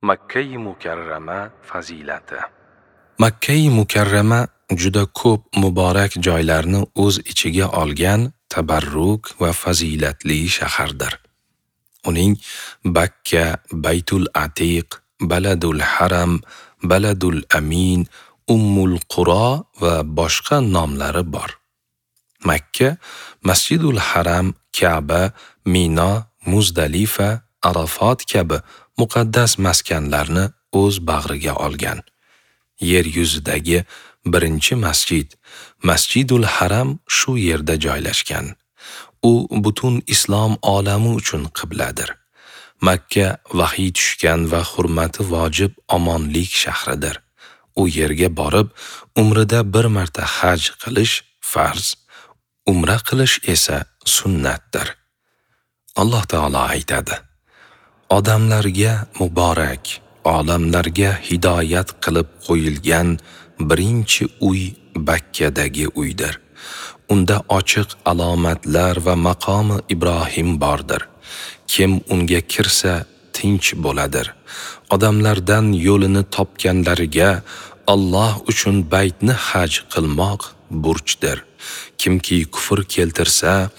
Makkai Mukarrama fazilati. Makkai Mukarrama juda ko'p muborak joylarni o'z ichiga olgan tabarruk va fazilatli shahardir. Uning Bakka, Baytul Atiq, Baladul Haram, Baladul Amin, Ummul Quro va boshqa nomlari bor. Makka, Masjidul Haram, Ka'ba, Mino, Muzdalifa, Arafat kabi muqaddas maskanlarni o'z bag'riga olgan. Yer yuzidagi birinchi masjid, Masjidul Haram shu yerda joylashgan. U butun islom olami uchun qibladir. Makka vahiy tushgan va hurmati vojib omonlik shahridir. U yerga borib, umrida bir marta haj qilish farz, umra qilish esa sunnatdir. Alloh taolo aytadi: Odamlarga muborak, olamlarga hidoyat qilib qo'yilgan birinchi uy Bakkadagi uydir. Unda ochiq alomatlar va maqomi Ibrohim bordir. Kim unga kirsa tinch bo'ladir. Odamlardan yo'lini topganlariga Alloh uchun baytni haj qilmoq burchdir. Kimki kufr keltirsa,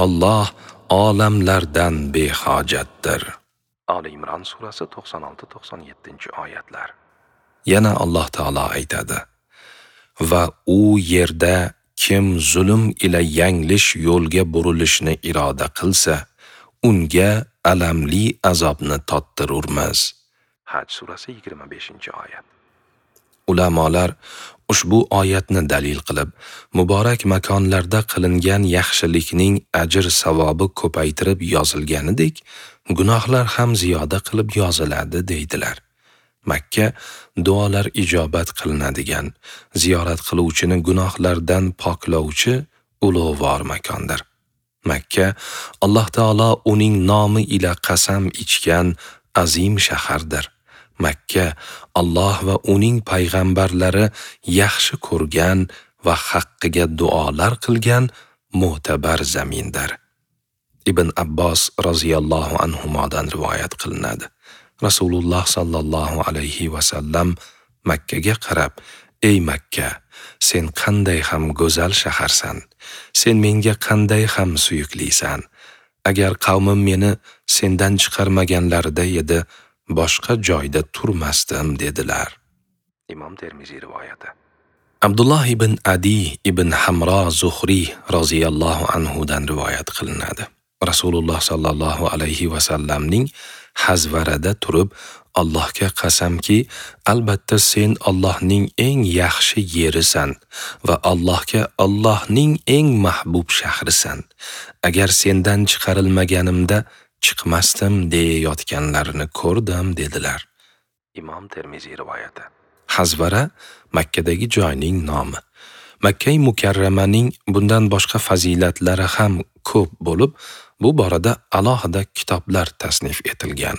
Alloh olamlardan behojatdir. Ali Imron surasi 96-97 oyatlar. Yana Alloh taolo aytadi: Va u yerda kim zulm ila yanglish yo'lga burilishni iroda qilsa, unga alamli azobni tottirurmiz. Haj surasi 25-oyat. Ulamolar ushbu oyatni dalil qilib, muborak makonlarda qilingan yaxshilikning ajr savobi ko'paytirib yozilganidek, gunohlar ham ziyoda qilib yoziladi deydilar. Makka duolar ijobat qilinadigan, ziyorat qiluvchini gunohlardan poklovchi ulug'vor makondir. Makka Alloh taolo uning nomi ila qasam ichgan azim shahardir. Makka Alloh va uning payg'ambarlari yaxshi ko'rgan va haqqiga duolar qilgan mo'tabar zamindir. Ibn Abbos roziyallohu anhumodan rivoyat qilinadi. Rasululloh sallallohu alayhi va sallam Makkaga qarab: "Ey Makka, sen qanday ham go'zal shaharsan, sen menga qanday ham suyuklisan. Agar qavmim meni sendan chiqarmaganlarida edi, boshqa joyda turmasdim" dedilar. Imom Termiziy rivoyati. Abdulloh ibn Adi ibn Hamro Zuhriy roziyallohu anhu dan rivoyat qilinadi. Rasululloh sallallohu alayhi va sallamning hazvarada turib, Allohga qasamki, albatta sen Allohning eng yaxshi yerisan va Allohga Allohning eng mahbub shahrisan. Agar sendan chiqarilmaganimda chiqmasdim deyayotganlarini ko'rdim dedilar. Imom Termiziy rivoyati. Hazvara Makkadagi joyning nomi. Makkai Mukarramaning bundan boshqa fazilatlari ham ko'p bo'lib, bu borada alohida kitoblar tasnif etilgan.